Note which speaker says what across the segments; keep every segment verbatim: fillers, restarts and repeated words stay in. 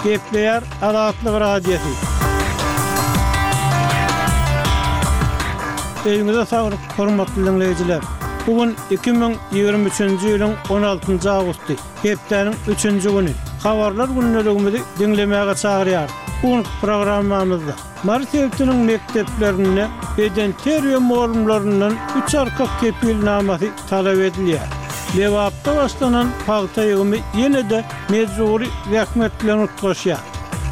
Speaker 1: Gepleýär Azatlyk Radiosy. Öýüňize saglyk, hormatly diňleýjiler! Bu gün iki müň ýigrimi üçünji ýylyň on altynjy awgusty, hepdäniň üçünji güni. Habarlar gündeligimizi diňlemäge çagyrýarys. Bu günki programmamyzda Mary sebitiniň mekdeplerinde bedenterbiýe mugallymlaryndan üç arka kepilnamasy talap edilýär. Lebapda başlanan pagta ýygymy ýene-de mejbury zähmet bilen utgaşýar.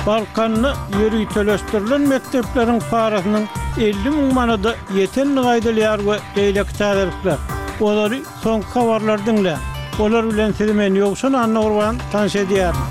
Speaker 1: Balkanda ýöriteleşdirilen mekdepleriň parasynyň elli müň manada ýetendigi aýdylýar we beýleki täzelikler. Olary soňky habarlary diňläň. Olar bilen sizi men Ýowşan Annagurban tanyş edýärin.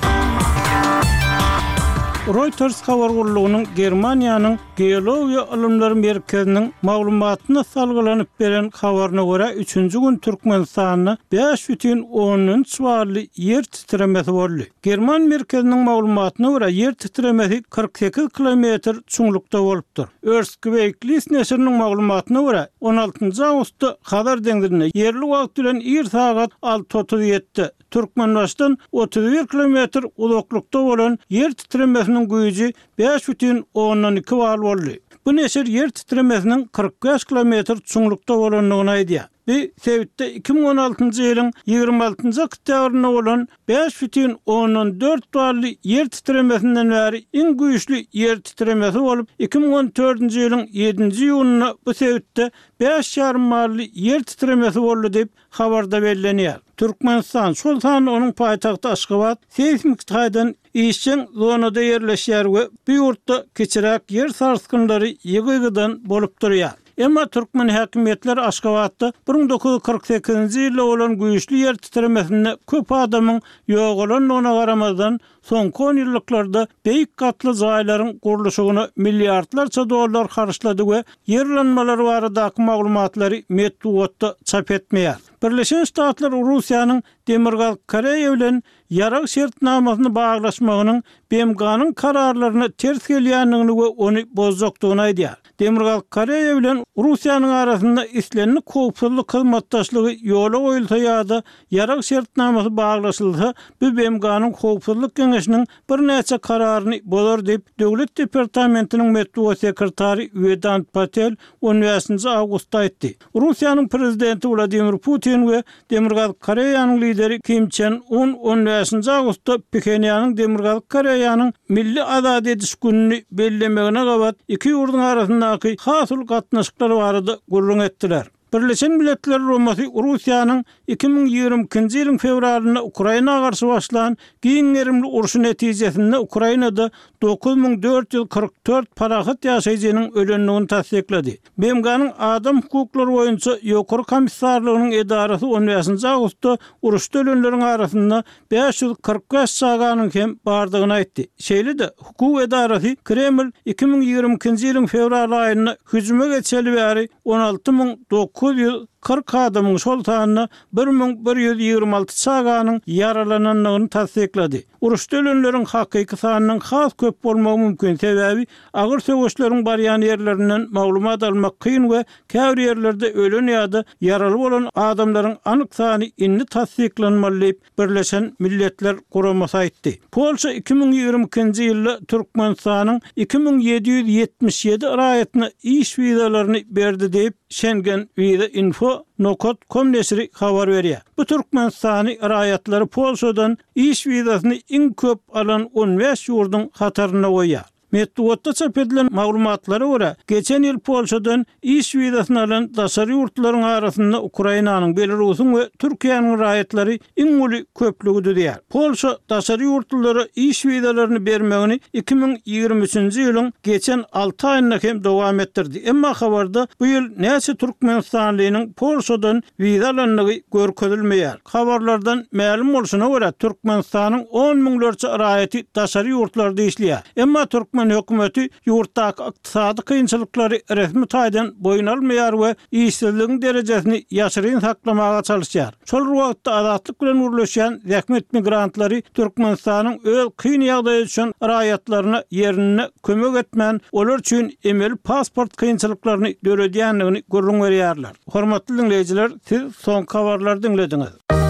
Speaker 1: Reuters habar gullugynyň Germaniýanyň Geologiýa ylymlary merkeziniň maglumatyna salgylanyp beren habaryna görä, üçünji gün Türkmenistanda bäş bütin ondan üç bally ýer titremesi boldy. German merkeziniň maglumatyna görä, ýer titremesi kyrk sekiz kilometr çuňlukda bolupdyr. Earthquake-List neşiriniň maglumatyna görä, on altynjy awgustda Hazar deňzinde ýerli wagt bilen ir sagat alty otuz ýedide Türkmenbaşydan otuz bir kilometr uzaklykda bolan ýer titremesiniň güýji bäş bütin ondan iki bal boldy. Bu neşir ýer titremesiniň kyrk bäş kilometr çuňlukda bolandygyny aýdýar. Bu sebitde iki müň on altynjy ýylyň ýigrimi altynjy oktýabrynda bolan bäş bütin ondan dört bally ýer titremesinden bäri iň güýçli ýer titremesi bolup, iki müň on dördünji ýylyň ýedinji iýunynda bu sebitde bäş ýarym bally ýer titremesi boldy diýip, habarda bellenýär. Türkmenistan, şol sanda onuň paýtagty Aşgabat seýsmik taýdan işjeň zonada ýerleşýär we bu ýurtda kiçiräk ýer sarsgynlary ýygy-ýygydan bolup durýar. Emma türkmen häkimiýetleri Aşgabatda bir müň dokuz ýüz kyrk sekizinji ýylda bolan güýçli ýer titremesinde köp adamyň ýogalandygyna garamazdan, soňky onýyllyklarda beýik gatly jaýlaryň gurluşygyna milliardlarça dollar harçlady we ýer yranmalary baradaky maglumatlary metbugatda çap etmeýär. Birleşen Ştatlar Russiýanyň Demirgazyk Koreýa bilen ýarag şertnamasyny baglaşmagynyň B M G-nyň kararlaryna ters gelýändigini we ony bozjakdygyny aýdýar. Demirgazyk Koreýa bilen Russiýanyň arasynda islendik howpsuzlyk hyzmatdaşlygy ýola goýulsa ýa-da ýarag şertnamasy baglaşylsa, bu B M G-nyň Howpsuzlyk Geňeşiniň birnäçe kararyny bozar diýip, Döwlet departamentiniň metbugat sekretary Wedant Patel on bäşinji awgustda aýtdy. Russiýanyň prezidenti Wladimir Putin we Demirgazyk Koreýanyň lideri Kim Çen Un on bäşinji awgustda Phenýanyň Demirgazyk Koreýanyň Milli azat ediş gününi bellemegine gabat iki ýurduň arasyndaky has uly gatnaşyklar barada gürrüň etdiler. Birleşen Milletler Guramasy Russiýanyň iki müň ýigrimi ikinji ýylyň fewralynda Ukraina garşy başlan giň gerimli urşy netijesinde Ukrainada dokuz müň dört ýüz kyrk dört parahat ýaşaýjynyň ölendigini tassyklady. B M G-nyň Adam hukuklary boýunça Ýokary komissarlygynyň edarasy on bäşinji awgustda uruşda ölenleriň arasynda bäş ýüz kyrk bäş çaganyň hem bardygyny aýtdy. Şeýle-de, hukuk edarasy Kreml iki müň ýigrimi ikinji ýylyň fewral aýynda hüjüme geçeli bäri on alty müň dokuz ýüz kyrk adamyň, şol sanda bir müň bir ýüz ýigrimi alty çaganyň ýaralanandygyny tassyklady. Uruşda ölenleriň hakyky sanynyň has köp bolmagy mümkin, sebäbi agyr söweşleriň barýan ýerlerinden maglumat almak kyn we käbir ýerlerde ölen ýa-da ýaraly bolan adamlaryň anyk sany indi tassyklanmaly diýip, Birleşen Milletler Guramasy aýtdy. Polşa iki müň ýigrimi ikinji ýylda Türkmenistanyň iki müň ýedi ýüz ýetmiş ýedi raýatyna iş wizalaryny berdi diýip, Schengen Visa Info nokat com neşiri habar berýär. Bu Türkmenistany raýatlary Polşadan iş wizasyny iň köp alan on bäş ýurduň hatarynda goýýar. Metbugatda çap edilen maglumatlara görä, geçen ýyl Polşadan iş wizasyny alan daşary ýurtlaryň arasynda Ukrainanyň, Belarusyň we Türkiýäniň raýatlary iň uly köplügi düzýär. Polşa daşary ýurtlulara iş wizalaryny bermegini iki müň ýigrimi üçünji ýylyň geçen alty aýynda hem dowam etdirdi. Emma habarda bu ýyl näçe türkmenistanlynyň Polşadan wiza alandygy görkezilmeýär. Habarlardan mälim bolşuna görä, Türkmenistanyň on müňlerçe raýaty daşary ýurtlarda işleýär. Emma türkmen hökümeti ýurtdaky ykdysady kynçylyklary resmi taýdan boýun almaýar we işsizligiň derejesini ýaşyryn saklamaga çalyşýar. Şol bir wagtda Azatlyk bilen gürleşýän zähmet migrantlary Türkmenistanyň öz kyn ýagdaýa düşen raýatlaryna ýerinde kömek etmän, olar üçin emeli pasport kynçylyklaryny döredýändigini gürrüň berýärler. Hormatly diňleýjiler, siz soňky habarlary diňlediňiz.